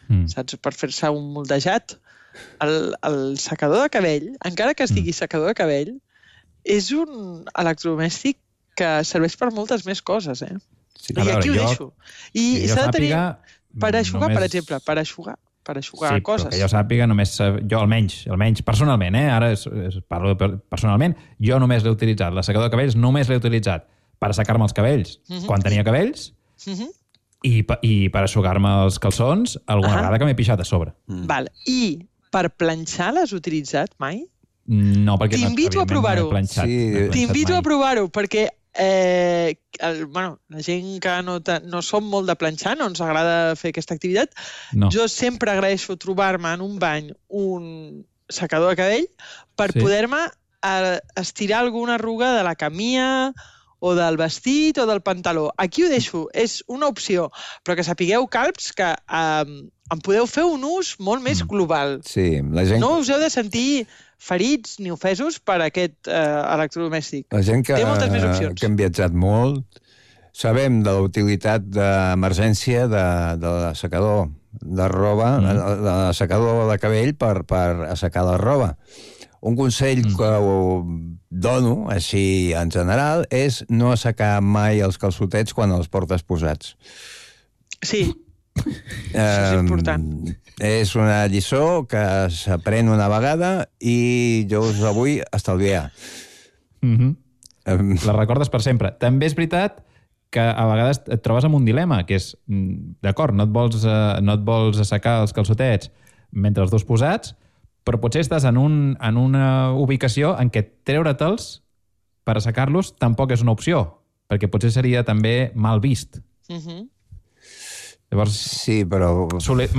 Speaker 11: per fer-se un moldejat. El secador de cabell, encara que es digui secador de cabell, és un electrodomèstic que serveix per moltes més coses,
Speaker 5: Sí.
Speaker 11: I aquí ho deixo. I s'ha de tenir per eixugar, per exemple, per eixugar coses.
Speaker 5: Sí, però que jo sàpiga, jo almenys personalment, ara parlo personalment, jo només l'he utilitzat, l'assecador de cabells només l'he utilitzat per assecar-me els cabells quan tenia cabells i per eixugar-me els calçons alguna vegada que m'he pixat a sobre.
Speaker 11: Val. I per planxar l'has utilitzat mai?
Speaker 5: No, perquè
Speaker 11: t'invito a provar-ho. T'invito a provar-ho, perquè la gent que no som molt de planxar, no ens agrada fer aquesta activitat, jo sempre agraeixo trobar-me en un bany un secador de cabell per poder-me estirar alguna arruga de la camisa o del vestit o del pantaló. Aquí ho deixo, és una opció, però que sapigueu, calbs, que en podeu fer un ús molt més global.
Speaker 12: Sí, la gent...
Speaker 11: No us heu de sentir ferits ni ofesos per aquest electrodomèstic.
Speaker 12: La gent que
Speaker 11: té moltes més opcions.
Speaker 12: Que hem viatjat molt, sabem de la utilitat d'emergència de l'assecador de roba, de l'assecador de cabell per assecar la roba. Un consell que dono, així en general, és no assecar mai els calçotets quan els portes posats.
Speaker 11: Sí, això és important.
Speaker 12: És una lliçó que s'aprèn una vegada i jo us la vull estalviar.
Speaker 5: La recordes per sempre. També és veritat que a vegades et trobes amb un dilema, que és, d'acord, no et vols assecar els calçotets mentre els dos posats, però potser estàs en una ubicació en què treure-te'ls per assecar-los tampoc és una opció, perquè potser seria també mal vist. Llavors,
Speaker 12: sí, però...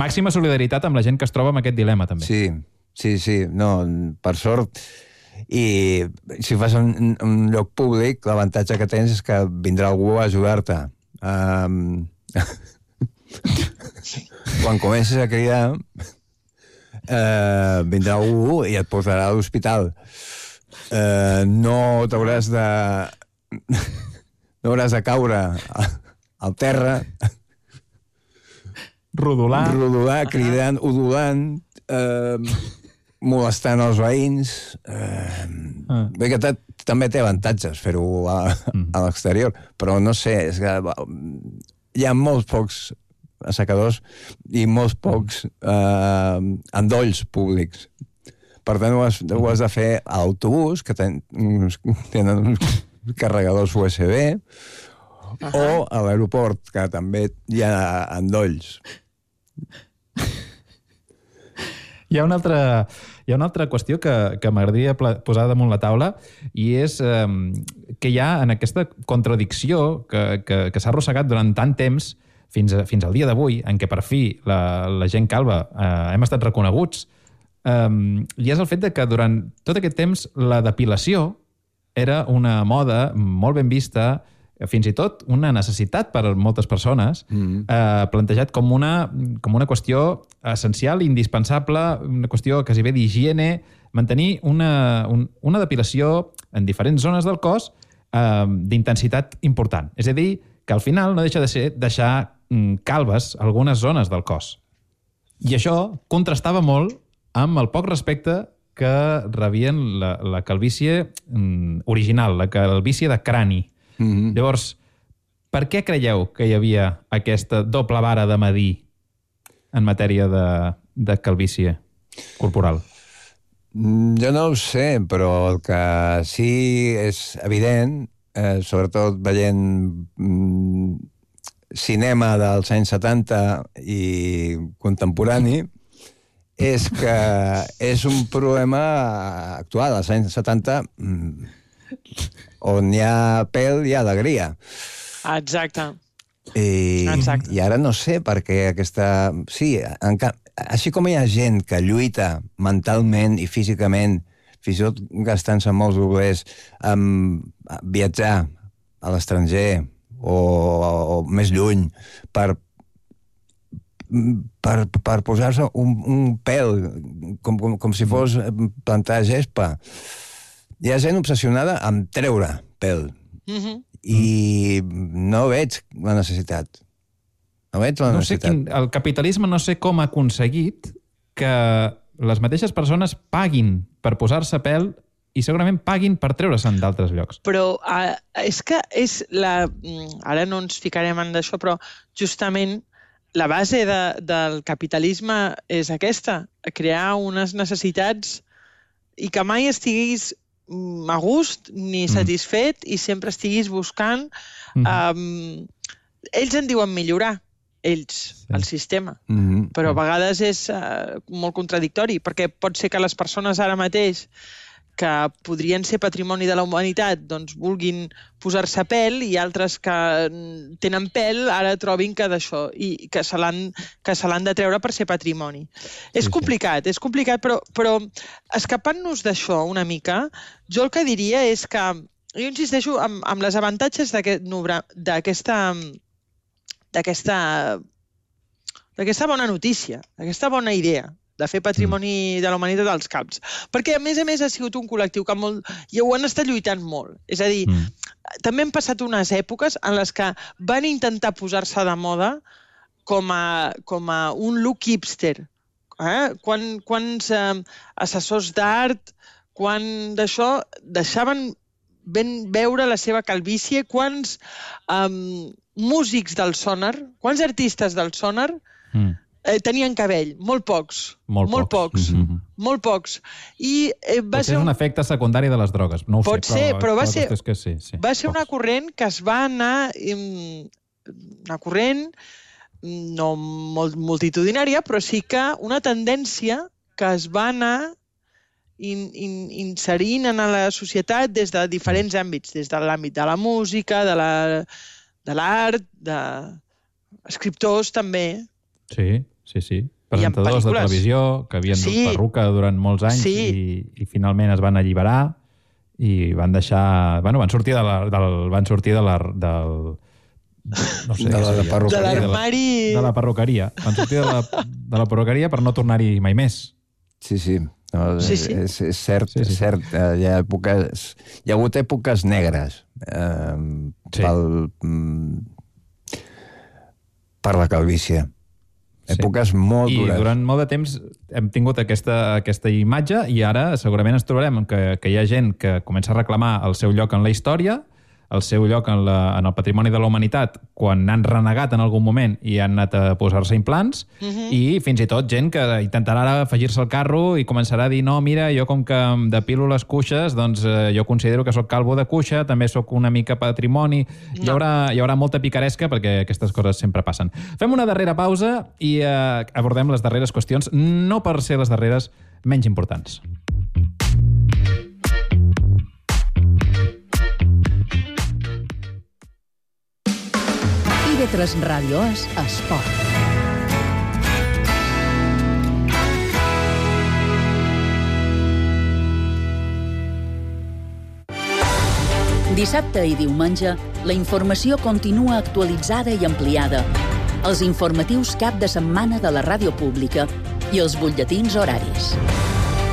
Speaker 5: Màxima solidaritat amb la gent que es troba amb aquest dilema, també.
Speaker 12: Sí. No, per sort... I si fas un lloc públic, l'avantatge que tens és que vindrà algú a ajudar-te. Quan comences a cridar, vindrà algú i et portarà a l'hospital. No t'hauràs de... No hauràs de caure al terra. Rodolar, cridant, udolant... molestant els veïns. Bé que també té avantatges fer-ho a l'exterior, però no sé, és que hi ha molts pocs assecadors i molts pocs endolls públics. Per tant, ho has de fer a l'autobús, que tenen uns carregadors USB, o a l'aeroport, que també hi ha endolls.
Speaker 5: Hi ha una altra qüestió que m'agradaria posar damunt la taula i és que hi ha en aquesta contradicció que s'ha arrossegat durant tant temps fins al dia d'avui, en què per fi la gent calva hem estat reconeguts, i és el fet de que durant tot aquest temps la depilació era una moda molt ben vista, fins i tot una necessitat per a moltes persones, plantejat com una qüestió essencial, indispensable, una qüestió quasi bé d'higiene, mantenir una depilació en diferents zones del cos d'intensitat important. És a dir, que al final no deixa de ser deixar calves algunes zones del cos. I això contrastava molt amb el poc respecte que rebien la calvície original, la calvície de crani. Llavors, per què creieu que hi havia aquesta doble vara de medir en matèria de calvície corporal?
Speaker 12: Jo no ho sé, però el que sí és evident, sobretot veient cinema dels anys 70 i contemporani, és que és un problema actual. Als anys 70... on hi ha pèl, hi ha alegria.
Speaker 11: Exacte.
Speaker 12: I ara no sé per què aquesta... Sí, així com hi ha gent que lluita mentalment i físicament, fins i tot gastant-se molts doblers, viatjar a l'estranger o més lluny per posar-se un pèl, com si fos plantar gespa. Hi ha gent obsessionada amb treure pèl. I no veig la necessitat.
Speaker 5: El capitalisme no sé com ha aconseguit que les mateixes persones paguin per posar-se pèl i segurament paguin per treure-se'n d'altres llocs.
Speaker 11: Però és que és la... Ara no ens ficarem en això, però justament la base del capitalisme és aquesta, crear unes necessitats i que mai estiguis a gust ni satisfet i sempre estiguis buscant... Ells en diuen millorar, el sistema, però a vegades és molt contradictori, perquè pot ser que les persones ara mateix que podrien ser patrimoni de la humanitat doncs vulguin posar-se pèl i altres que tenen pèl ara trobin que d'això i que se l'han de treure per ser patrimoni. És complicat, però escapant-nos d'això una mica, jo el que diria és que jo insisteixo amb les avantatges d'aquesta bona notícia, d'aquesta bona idea de fer patrimoni de la humanitat als Calbs. Perquè, a més, ha sigut un col·lectiu que i ho han estat lluitant molt. És a dir, també han passat unes èpoques en les que van intentar posar-se de moda com a un look hipster. Quants assessors d'art, quan d'això deixaven ben veure la seva calvície, quants músics del sonar, quants artistes del sonar tenien cabell? Molt pocs. Molt pocs. I va ser
Speaker 5: un efecte secundari de les drogues. No ho sé,
Speaker 11: pot ser, però va ser
Speaker 5: una
Speaker 11: corrent que es va anar... Una corrent no molt multitudinària, però sí que una tendència que es va anar inserint en la societat des de diferents àmbits, des de l'àmbit de la música, de l'art, d'escriptors també.
Speaker 5: Sí. Presentadors de televisió que havien dut perruca durant molts anys i finalment es van alliberar i van deixar... Van sortir de
Speaker 11: l'armari...
Speaker 5: De la perruqueria. Van sortir de la perruqueria per no tornar-hi mai més.
Speaker 12: Sí. No, és cert. Hi ha hagut èpoques negres per la calvície. Èpoques molt dures.
Speaker 5: I durant molt de temps hem tingut aquesta imatge i ara segurament ens trobarem que hi ha gent que comença a reclamar el seu lloc en la història, el seu lloc en el patrimoni de la humanitat quan han renegat en algun moment i han anat a posar-se implants, i fins i tot gent que intentarà ara afegir-se al carro i començarà a dir, no, mira, jo com que em depilo les cuixes, doncs jo considero que sóc calvo de cuixa, també sóc una mica patrimoni. Hi haurà molta picaresca perquè aquestes coses sempre passen. Fem una darrera pausa i abordem les darreres qüestions, no per ser les darreres menys importants.
Speaker 2: TV3 Ràdio és esport. Dissabte i diumenge, la informació continua actualitzada i ampliada. Els informatius cap de setmana de la ràdio pública i els butlletins horaris.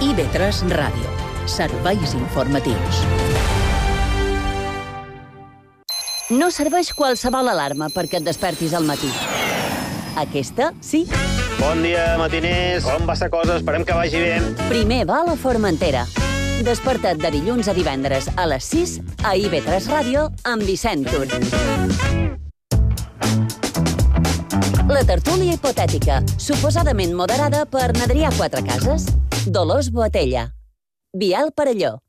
Speaker 2: IB3 Ràdio. Serveis informatius.
Speaker 3: No serveix qualsevol alarma perquè et despertis al matí. Aquesta, sí.
Speaker 18: Bon dia, matiners. Com va la cosa? Esperem que vagi bé.
Speaker 3: Primer va a la Formentera. Desperta't de dilluns a divendres a les 6 a IB3 Ràdio amb Vicent Tur. La tertúlia hipotètica, suposadament moderada per Adrià Quatrecases, Dolors Boatella, Biel Parelló.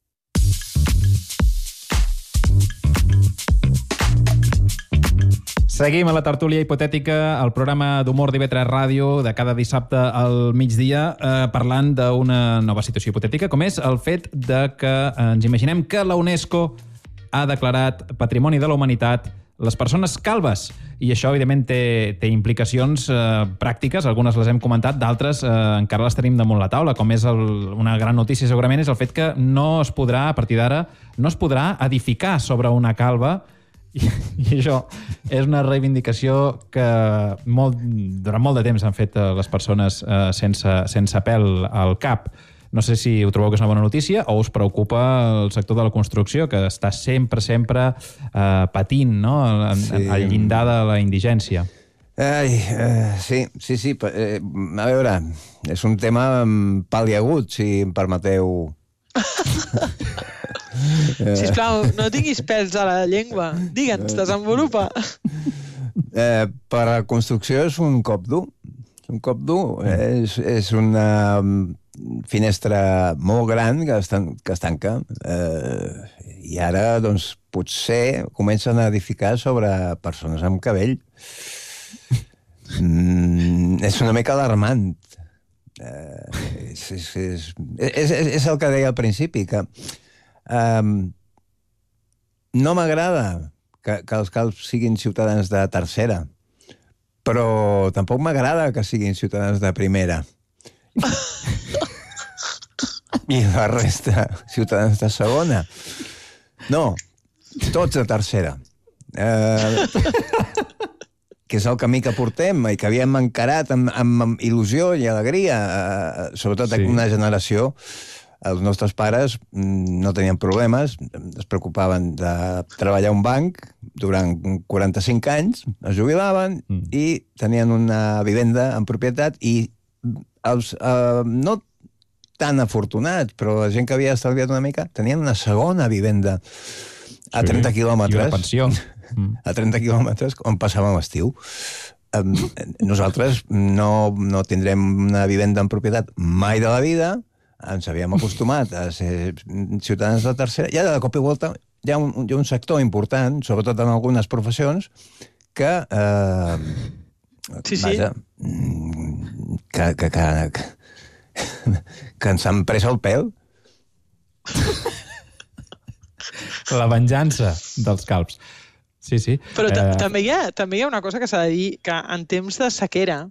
Speaker 5: Seguim a la tertúlia hipotètica, el programa d'humor d'IV3 Ràdio de cada dissabte al migdia, parlant d'una nova situació hipotètica, com és el fet de que ens imaginem que la UNESCO ha declarat Patrimoni de la Humanitat les persones calbes. I això, evidentment, té implicacions pràctiques, algunes les hem comentat, d'altres encara les tenim damunt la taula, com és una gran notícia segurament, és el fet que no es podrà, a partir d'ara, no es podrà edificar sobre una calba. I això és una reivindicació que durant molt de temps han fet les persones sense pèl al cap. No sé si ho trobeu que és una bona notícia o us preocupa el sector de la construcció, que està sempre patint, no? Al llindar de la indigència.
Speaker 12: Sí. A veure, és un tema pal·liagut, si em permeteu...
Speaker 11: Sisplau, no tinguis pèls a la llengua. Digue'ns, desenvolupa.
Speaker 12: Per a la construcció és un cop dur. Un cop dur. És una finestra molt gran que es tanca. I ara, doncs, potser comencen a edificar sobre persones amb cabell. És una mica alarmant. És el que deia al principi, que no m'agrada que els calbs siguin ciutadans de tercera, però tampoc m'agrada que siguin ciutadans de primera. I la resta, ciutadans de segona. No, tots de tercera. que és el camí que portem i que havíem encarat amb il·lusió i alegria, sobretot una generació. Els nostres pares no tenien problemes, es preocupaven de treballar a un banc durant 45 anys, es jubilaven i tenien una vivenda en propietat i els no tan afortunats, però la gent que havia estalviat una mica, tenien una segona vivenda a 30 quilòmetres.
Speaker 5: I una pensió.
Speaker 12: A 30 quilòmetres, on passàvem l'estiu. Nosaltres no tindrem una vivenda en propietat mai de la vida, ens havíem acostumat a ser ciutadans de tercera, i ara de cop i volta hi ha un sector important, sobretot en algunes professions, que vaja, que ens han pres el pèl.
Speaker 5: La venjança dels calbs. Sí, sí.
Speaker 11: Però també hi ha una cosa que s'ha de dir, que en temps de sequera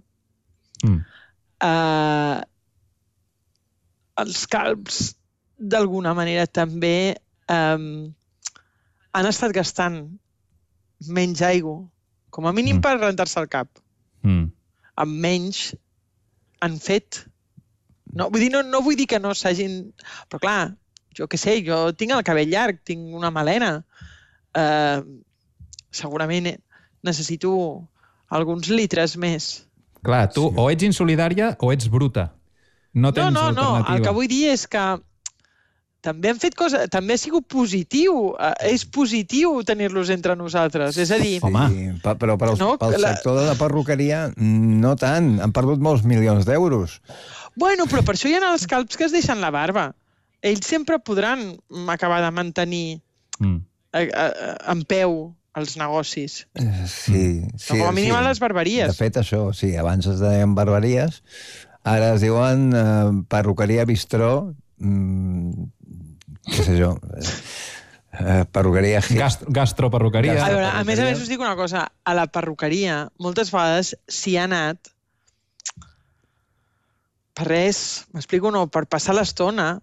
Speaker 11: els calbs d'alguna manera també han estat gastant menys aigua, com a mínim per rentar-se el cap. Amb menys han fet. No vull dir que no s'hagin... Però clar, jo què sé, jo tinc el cabell llarg, tinc una melena. Segurament necessito alguns litres més.
Speaker 5: Clar, tu o ets insolidària o ets bruta. No tens alternativa.
Speaker 11: No, el que vull dir és que també han fet coses, també ha sigut positiu, és positiu tenir-los entre nosaltres, és a dir...
Speaker 12: Sí, però pel sector de la perruqueria no tant, han perdut molts milions d'euros.
Speaker 11: Bueno, però per això hi ha els calbs que es deixen la barba. Ells sempre podran acabar de mantenir en peu els negocis.
Speaker 12: Sí.
Speaker 11: Com a mínim a les barberies.
Speaker 12: De fet, això, sí, abans es deien barberies, ara es diuen perruqueria bistró, què sé jo, perruqueria...
Speaker 5: Gastroperruqueria.
Speaker 11: A veure, a més us dic una cosa, a la perruqueria moltes vegades s'hi ha anat per res, m'explico, no, per passar l'estona,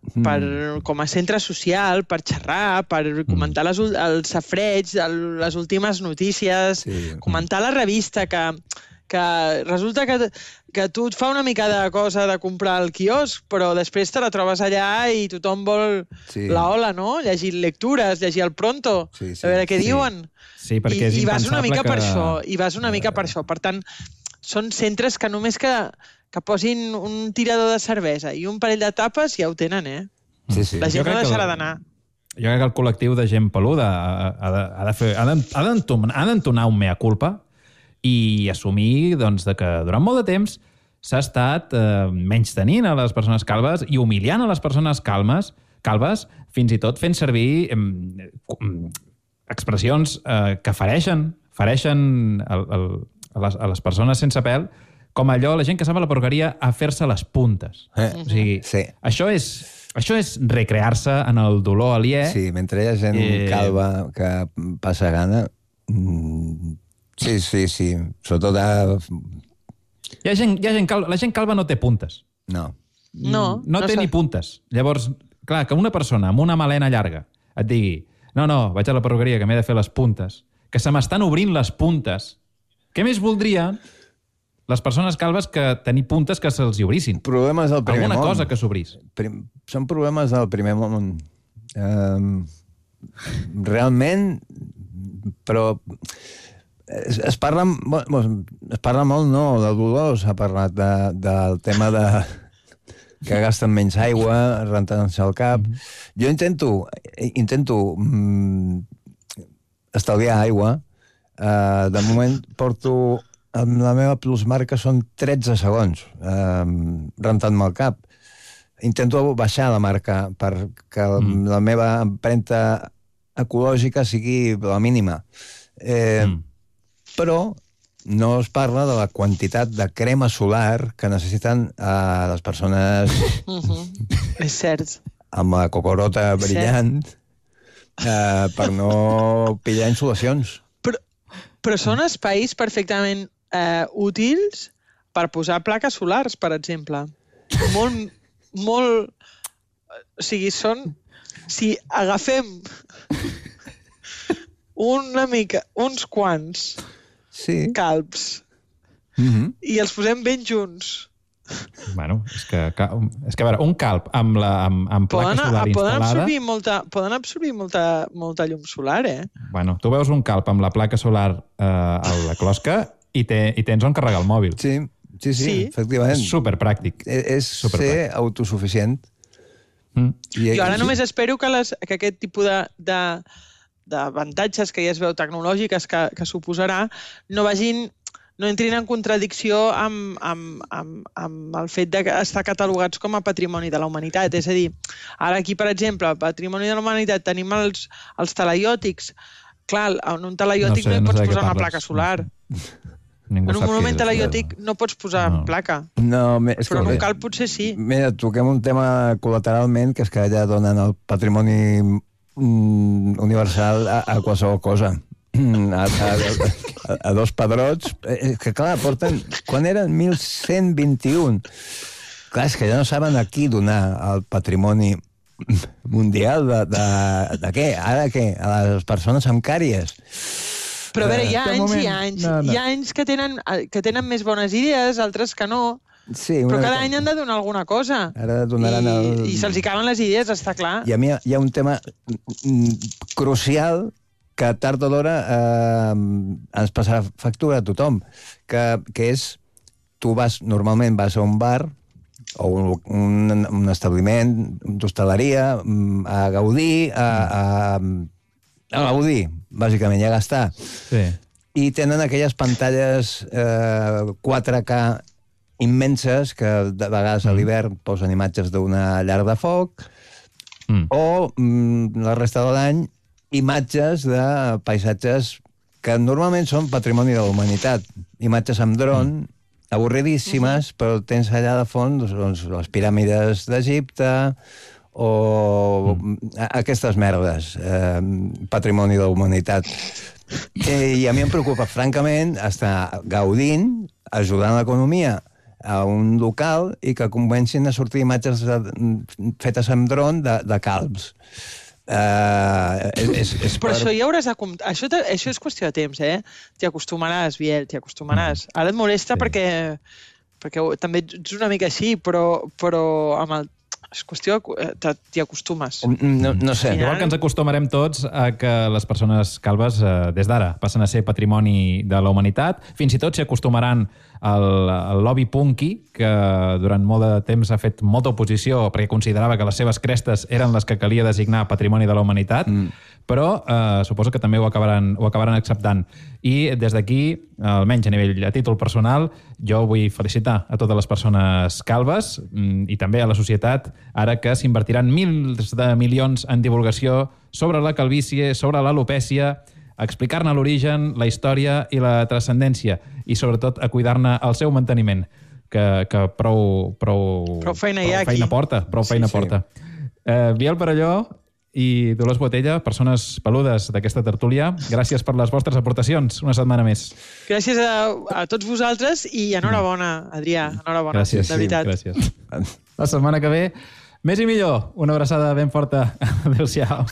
Speaker 11: com a centre social, per xerrar, per comentar els safreig, les últimes notícies, comentar la revista, que resulta que tu et fa una mica de cosa de comprar al quiosc, però després te la trobes allà i tothom vol la hola, no? Llegir lectures, llegir el pronto, a veure què diuen.
Speaker 5: Sí, perquè és impensable que...
Speaker 11: I vas una mica per això. Per tant, són centres que només que posin un tirador de cervesa i un parell de tapes ja ho tenen, La gent no deixarà d'anar.
Speaker 5: Jo crec que el col·lectiu de gent peluda ha d'entonar un mea culpa i assumir que durant molt de temps s'ha estat menystenint a les persones calbes i humiliant a les persones calbes, fins i tot fent servir expressions que fereixen a les persones sense pèl, com allò, la gent que sap a la perruqueria, a fer-se les puntes. O sigui, això és recrear-se en el dolor aliè.
Speaker 12: Sí, mentre hi ha gent calba que passa gana... Sí. Sobretot...
Speaker 5: La gent calba no té puntes.
Speaker 12: No.
Speaker 5: No té ni puntes. Llavors, clar, que una persona amb una melena llarga et digui no, vaig a la perruqueria que m'he de fer les puntes, que se m'estan obrint les puntes, què més voldrien les persones calbes que tenir puntes que se'ls hi obrissin?
Speaker 12: Problemes del primer món.
Speaker 5: Alguna cosa que s'obrís.
Speaker 12: Són problemes del primer món. Realment, però es parla molt, no, del dolor, s'ha parlat del tema de que gasten menys aigua, rentant-se el cap. Jo intento estalviar aigua. De moment porto... La meva plusmarca són 13 segons rentant-me el cap. Intento baixar la marca perquè la meva empremta ecològica sigui la mínima. Però no es parla de la quantitat de crema solar que necessiten les persones...
Speaker 11: És cert.
Speaker 12: Amb la cocorota brillant per no pillar insolacions.
Speaker 11: Però són espais perfectament útils per posar plaques solars, per exemple. Molt... O sigui, són... Si agafem una mica, uns quants calbs i els posem ben junts.
Speaker 5: Bueno, és que a veure, un calb amb placa solar instal·lada...
Speaker 11: Poden absorbir molta llum solar,
Speaker 5: Bueno, tu veus un calb amb la placa solar a la closca i tens on carregar el mòbil.
Speaker 12: Sí, efectivament.
Speaker 5: És superpràctic.
Speaker 12: És ser autosuficient.
Speaker 11: Jo ara només espero que aquest tipus d'avantatges que ja es veu tecnològiques que suposarà no entrin en contradicció amb el fet d'estar catalogats com a patrimoni de la humanitat. És a dir, ara aquí, per exemple, patrimoni de la humanitat tenim els talaiòtics. Clar, en un talaiòtic no hi pots posar una placa solar. En un monument talaiòtic no pots posar placa. Però en un calb potser sí.
Speaker 12: Mira, toquem un tema col·lateralment, que és que allà donen el patrimoni universal a qualsevol cosa. A dos pedrots, que clar, porten... Quan eren 1121? Clar, és que ja no saben a qui donar el patrimoni mundial de què? Ara què? A les persones amb càries?
Speaker 11: Però a veure, hi ha anys i anys. Hi ha anys que tenen més bones idees, altres que no. Però cada any han de donar alguna cosa.
Speaker 12: Ara donaran el...
Speaker 11: I se'ls caben les idees, està clar.
Speaker 12: I a mi hi ha un tema crucial que tard o d'hora ens passarà factura a tothom, que és, tu normalment vas a un bar o un establiment d'hostaleria a gaudir, a gaudir, bàsicament, i a gastar. I tenen aquelles pantalles 4K immenses que de vegades a l'hivern posen imatges d'una llar de foc o la resta de l'any imatges de paisatges que normalment són patrimoni de la humanitat. Imatges amb dron, avorridíssimes, però tens allà de fons les piràmides d'Egipte o aquestes merdes, patrimoni de la humanitat. I a mi em preocupa, francament, estar gaudint, ajudant l'economia a un local i que comencin a sortir imatges fetes amb dron de calbs.
Speaker 11: Però això ja hauràs de comptar. Això és qüestió de temps, T'hi acostumaràs, Biel, t'hi acostumaràs. Ara et molesta perquè també ets una mica així, però amb el... És qüestió, t'hi acostumes.
Speaker 12: No sé.
Speaker 5: Igual que ens acostumarem tots a que les persones calbes, des d'ara, passen a ser patrimoni de la humanitat. Fins i tot s'hi acostumaran al lobby punky, que durant molt de temps ha fet molta oposició perquè considerava que les seves crestes eren les que calia designar patrimoni de la humanitat, però suposo que també ho acabaran acceptant. I des d'aquí, almenys a títol personal, jo vull felicitar a totes les persones calbes i també a la societat, ara que s'invertiran milers de milions en divulgació sobre la calvície, sobre l'alopècia, a explicar-ne l'origen, la història i la transcendència, i sobretot a cuidar-ne el seu manteniment, que prou
Speaker 11: feina hi ha aquí.
Speaker 5: Prou feina porta. Biel Perelló i Dolors Botella, persones peludes d'aquesta tertúlia, gràcies per les vostres aportacions una setmana més.
Speaker 11: Gràcies a tots vosaltres i enhorabona, Adrià, enhorabona,
Speaker 5: gràcies,
Speaker 11: de veritat.
Speaker 5: Gràcies. La setmana que ve, més i millor. Una abraçada ben forta. Adéu-siau.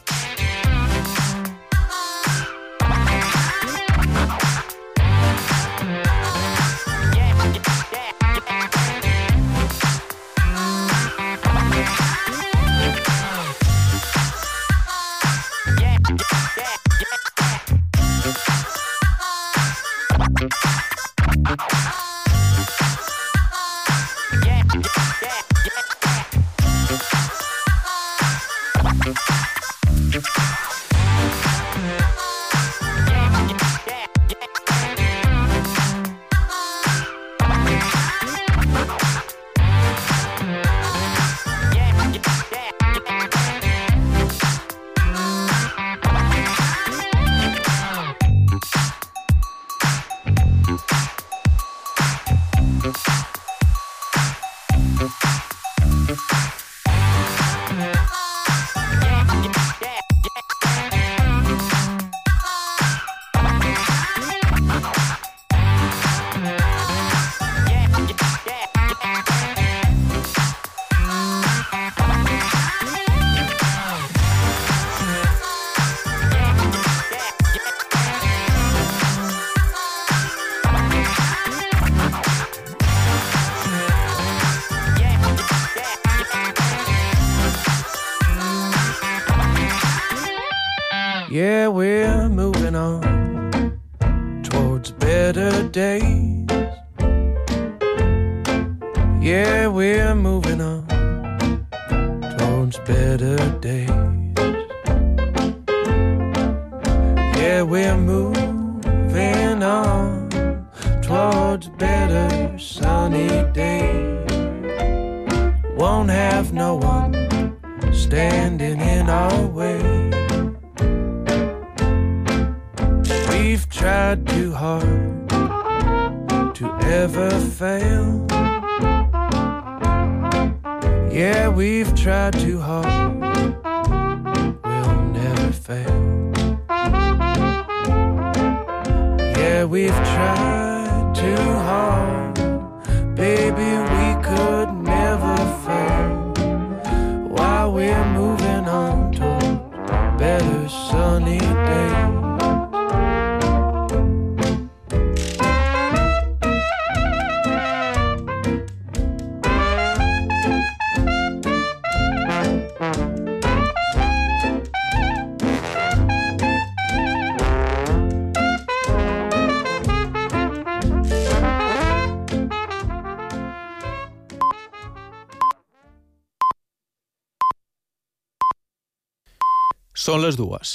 Speaker 19: Yeah, we're moving on towards better days. Yeah, we're moving on towards better days. Yeah, we're moving on towards better sunny days. Won't have no one standing in our way. We've tried too hard to ever fail. Yeah, we've tried too hard, we'll never fail. Yeah, we've tried too hard, baby, we could never fail. While we're moving on toward better sunny days.
Speaker 20: Són les 2.